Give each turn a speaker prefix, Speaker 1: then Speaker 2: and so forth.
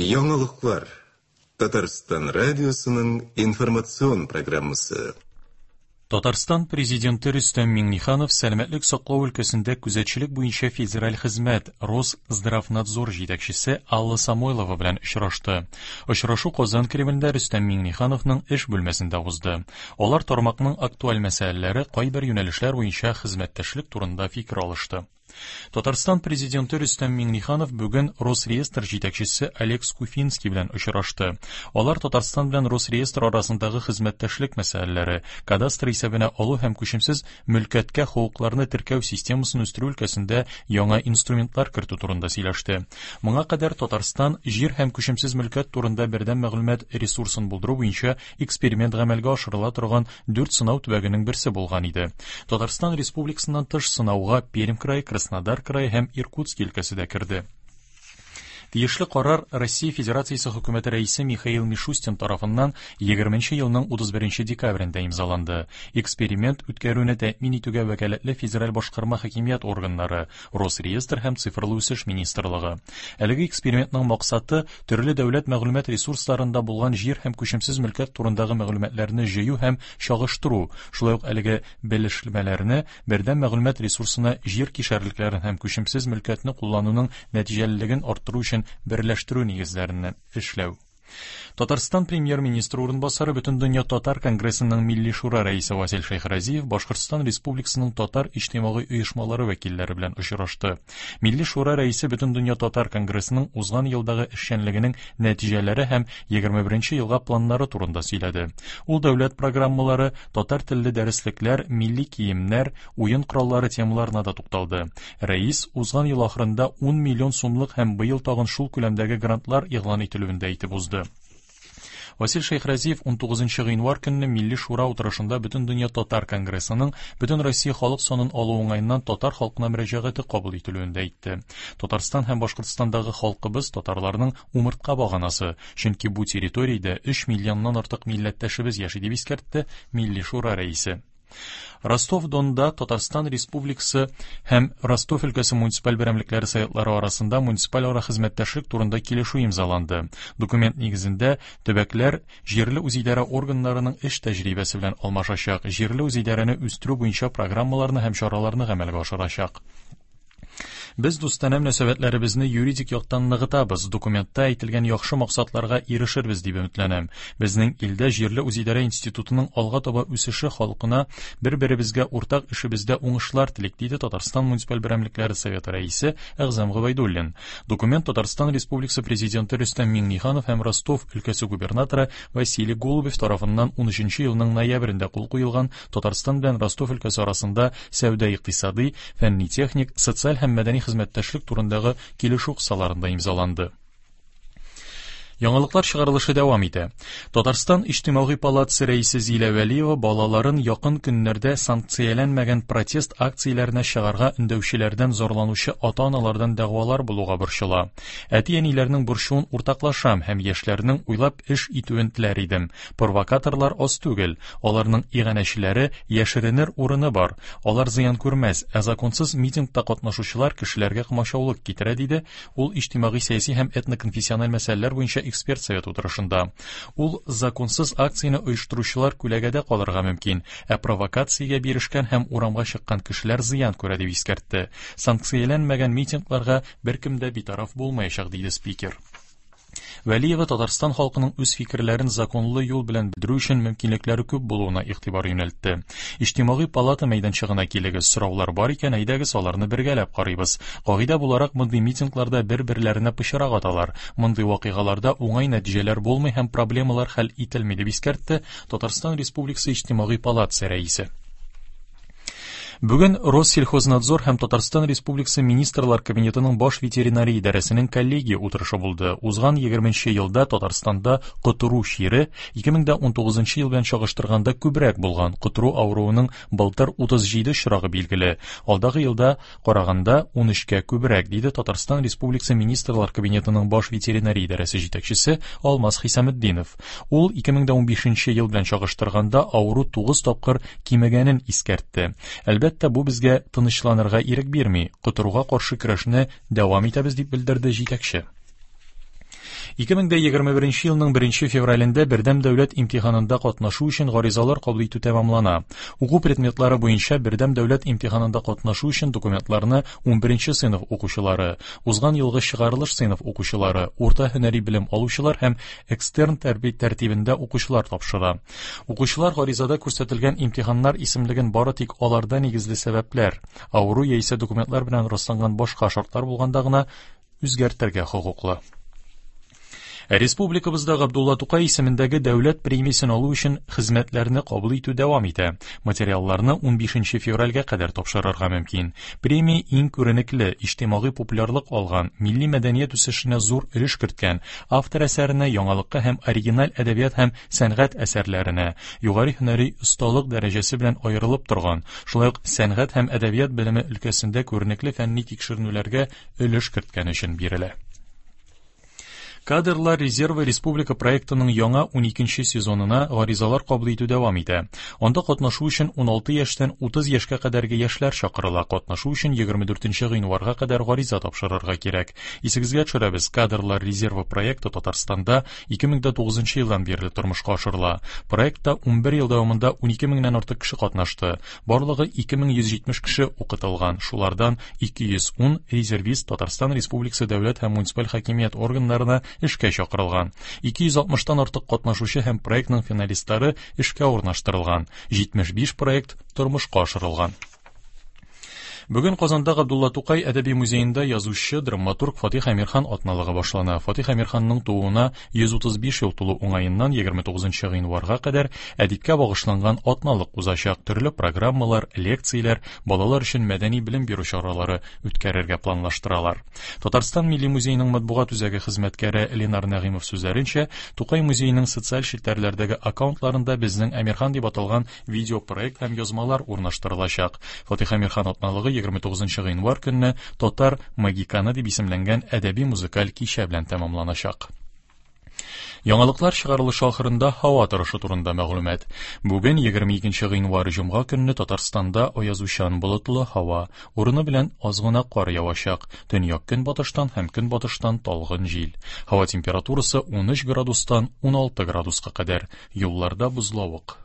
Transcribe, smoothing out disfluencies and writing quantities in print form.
Speaker 1: Яңалыклар. Татарстан радиосының информацион программасы.
Speaker 2: Татарстан Президенты Рөстәм Миңнеханов сәламәтлек саклау өлкәсендә күзәтчелек буенча федераль хезмәт Росздравнадзор җитәкчесе Алла Самойлова белән очрашты. Очрашу Казан Кремлендә Рөстәм Миңнехановның эш бүлмәсендә узды. Алар тармакның актуаль мәсьәләләре, кайбер юнәлешләр буенча хезмәттәшлек турында фикер алышты. Татарстан Президенты Рөстәм Миңнеханов бүген Росреестр җитәкчесе Олег Скуфинский белән очрашты. Алар Татарстан белән Росреестр арасындагы хезмәттәшлек мәсьәләләре, кадастр исәбенә алу һәм күчемсез мөлкәткә хокукларны теркәү системасын үстерү өлкәсендә яңа инструментлар кертү турында сөйләште. Моңа кадәр Татарстан җир һәм күчемсез мөлкәт турында бердәм мәгълүмат ресурсын булдыру буенча эксперимент гамәлгә ашырыла торган дүрт сынау төбәгенең берсе булган иде. Татарстан Республикасыннан тыш сынауга Пермь крае, Краснодар крае һәм Иркутски өлкәсе дә керде. Тиешле карар Россия Федерациясе Хөкүмәте Рәисе Михаил Мишустин тарафыннан 20 елның 31 декабрендә имзаланды. Эксперимент үткәрүне тәэмин итүгә вәкаләтле федераль башкарма хакимият органнары, Росреестр һәм Цифрлы үсеш министрлыгы. Әлеге экспериментның максаты төрле дәүләт мәгълүмат ресурсларында булган җир һәм күчемсез мөлкәт турындагы мәгълүматларны җыю һәм чагыштыру, шулай ук әлеге белешмәләрне бердәм мәгълүмат ресурсына җир кишәрлекләрен һәм күчемсез мөлкәтне куллануның нәтиҗәлелеген арттыру өчен берләштерү нигезләрен эшләү. Татарстан премьер-министры урынбасары Бөтендөнья татар конгрессының Милли шура рәисе Васил Шәйхразиев Башкортстан Республикасының татар иҗтимагый оешмалары вәкилләре белән очрашты. Милли шура рәисе Бөтендөнья татар конгрессының узган елдагы эшчәнлегенең нәтиҗәләре һәм 21 елга планнары турында сөйләде. Ул дәүләт программалары, татар телле дәреслекләр, милли киемнәр, уен кораллары темаларына да тукталды. Рәис узган ел ахырында 10 миллион сумлык һәм быел тагын шул күләмдәге грантлар игълан ителүен дә әйтеп узды. Васил Шәйхразиев 19 гыйнвар көнне Милли Шура утырышында Бөтендөнья татар конгрессының Бөтен Россия халык санын алу уңаеннан татар халкына мөрәҗәгате кабул ителүен дә әйтте. Татарстан һәм Башкортстандагы халкыбыз татарларның умыртка баганасы, чөнки бу территориядә 3 миллионнан артык милләттәшебез яши, дип искәртте Милли Шура рәисе. Ростов-Донда Татарстан Республикасы һәм Ростов өлкәсе муниципаль берәмлекләре советлары арасында муниципаль ара хезмәттәшлек турында килешү имзаланды. Документ нигезендә төбәкләр җирле үзидарә органнарының эш тәҗрибәсе белән алмашачак, җирле үзидарәне үстерү буенча программаларны һәм чараларны гамәлгә ашырачак. Без дустанә мөнәсәбәтләребезне юридик яктан ныгытабыз, документта әйтелгән яхшы максатларга ирешербез дип өметләнәм. Безнең илдә җирле үзидарә институтының алга таба үсеше халкына бер-беребезгә уртак эшебездә уңышлар телик, диде Татарстан муниципаль берәмлекләре советы рәисе Әгъзам Гобәйдуллин. Документ Татарстан Республикасы Президенты Рөстәм Миңнеханов һәм Ростов өлкәсе губернаторы Василий Голубев тарафыннан 13 елның ноябрендә кул куелган Татарстан белән Ростов өлкәсе арасында сәүдә-икътисадый, фәнни-техник, социаль һәм мәдәни хезмәттәшлек турындагы килешү кысаларында имзаланды. Яңалыклар чыгарылышы дәвам итә. Татарстан Иҗтимагый палатасы рәисе Зилә Вәлиева балаларын якын көннәрдә санкцияләнмәгән протест акцияләренә чыгарга өндәүчеләрдән зарланучы ата-аналардан дәгъвалар булуга борчыла. Әти-әниләрнең борчуын уртаклашам һәм яшьләрнең уйлап эш итүен теләр идем. Провокаторлар аз түгел, аларның иганәчеләре, яшеренер урыны бар. Алар зыян күрмәс, ә законсыз митингта катнашучылар кешеләргә комачаулык китерә, диде ул иҗтимагый-сәяси һәм этноконфессиональ мәсьәләләр буенча эксперт совет утырышында. Ул законсыз акцияне оештыручылар күләгәдә калырга мөмкин, ә провокациягә бирешкән һәм урамга чыккан кешеләр зыян күрә, дип искәртте. Санкцияләнмәгән митингларга беркем дә битараф булмаячак, диде спикер. Вәлиева Татарстан халкының үз фикерләрен законлы юл белән белдерү өчен мөмкинлекләре күп булуына игътибар юнәлтте. Иҗтимагый палата мәйданчыгына килегез, сораулар бар икән, әйдәгез аларны бергәләп карыйбыз. Кагыйдә буларак, мондый митингларда бер-берләренә пычрак аталар. Мондый вакыйгаларда уңай нәтиҗәләр булмый һәм проблемалар хәл ителми, дип искәртте Татарстан Республикасы Иҗтимагый палатасы рәисе. Бүген Россельхознадзор һәм Татарстан Республикасы Министрлар Кабинетының баш ветеринария идарәсенең коллегия утырышы булды. Узган 20 елда Татарстанда котыру чире 2019 ел белән чагыштырганда күбрәк булган. Котыру авыруының былтыр 37 очрагы билгеле. Алдагы елда караганда 13кә күбрәк, диде Татарстан Республикасы Министрлар Кабинетының баш ветеринария идарәсе җитәкчесе Алмаз Хисаметдинов. Ул 2015 ел белән чагыштырганда авыру 9 тапкыр кимегәнен искәртте. Әлбәттә, бу безгә тынычланырга ирек бирми, котыруга каршы көрәшне дәвам итәбез, дип белдерде җитәкче. 2021 елның 1 февралендә бердәм дәүләт имтиханында катнашу өчен гаризалар кабул итү тәмамлана. Уку предметлары буенча бердәм дәүләт имтиханында катнашу өчен документларны 11 сыйныф укучылары, узган елгы чыгарылыш сыйныф укучылары, урта һөнәри белем алучылар һәм экстерн тәртибендә укучылар тапшыра. Укучылар гаризада күрсәтелгән имтиханнар исемлеген бары тик аларда нигезле сәбәпләр, авыру яисә документлар белән расланган башка шартлар булганда гына үзгәртергә хокуклы. Республикабызда Габдулла Тукай исемендәге дәүләт премиясен алу өчен хезмәтләрне кабул итү дәвам итә. Материалларны 15 февральгә кадәр тапшырырга мөмкин. Премия иң күренекле, иҗтимагый популярлык алган, милли мәдәният үсешенә зур өлеш керткән, автор әсәренә яңалыкка һәм оригиналь әдәбият һәм сәнгать әсәрләренә, югары һөнәри осталык дәрәҗәсе белән аерылып торган, шулай ук сәнгать һәм әдәбият белеме өлкәсендә күренекле фәнни тикшеренүләргә өлеш керткән өчен бирелә. Кадрлар резервы республика проектының яңа 12 сезонына гаризалар кабул итү дәвам итә. Анда катнашу өчен 16 яшьтән 30 яшькә кадәрге яшьләр чакырыла. Катнашу өчен 24 гыйнварга кадәр гариза тапшырырга кирәк. Исегезгә төшерәбез, Кадрлар резервы проекты Татарстанда 2009 елдан бирле тормышка ашырыла. Проектта 11 ел дәвамында 12 меңнән артык кеше катнашты. Барлыгы 2170 кеше укытылган. Шулардан 210 резервист Татарстан Республикасы дәүләт һәм муниципаль хакимият органнарына эшкә чакырылган. 260-тан артык катнашучы һәм проектның финалистлары эшкә урнаштырылган. 75 проект тормышка ашырылган. Бүген Казанда Габдулла Тукай әдәби музеенда язучы, драматург Фатих Әмирхан атналыгы башлана. Фатих Әмирханның тууына 135 ел тулу уңаеннан 29 гыйнварга кадәр әдипкә багышланган атналык узачак. Төрле программалар, лекцияләр, балалар өчен мәдәни белем бирү чаралары үткәрергә планлаштыралар. Татарстан Милли музееның матбугат үзәге хезмәткәре Ленар Нәгыймов сүзләренчә, Тукай музееның социаль челтәрләрдәге аккаунтларында Безнең Әмирхан дип аталган видеопроект һәм язмалар урнаштырылачак. Фатих Әмирхан атналыгы 29 гыйнвар көнне Татар магиканы дип исемләнгән әдәби-музыкаль кичә белән тәмамланачак. Яңалыклар чыгарылышы ахырында һава торышы турында мәгълүмат. Бүген 22 гыйнвар җомга көнне Татарстанда аязучан болытлы һава, урыны белән аз гына кар явачак. Төньяк көнбатыштан һәм көнбатыштан талгын җил. Һава температурасы 13 градустан 16 градуска кадәр. Юлларда бозлавык.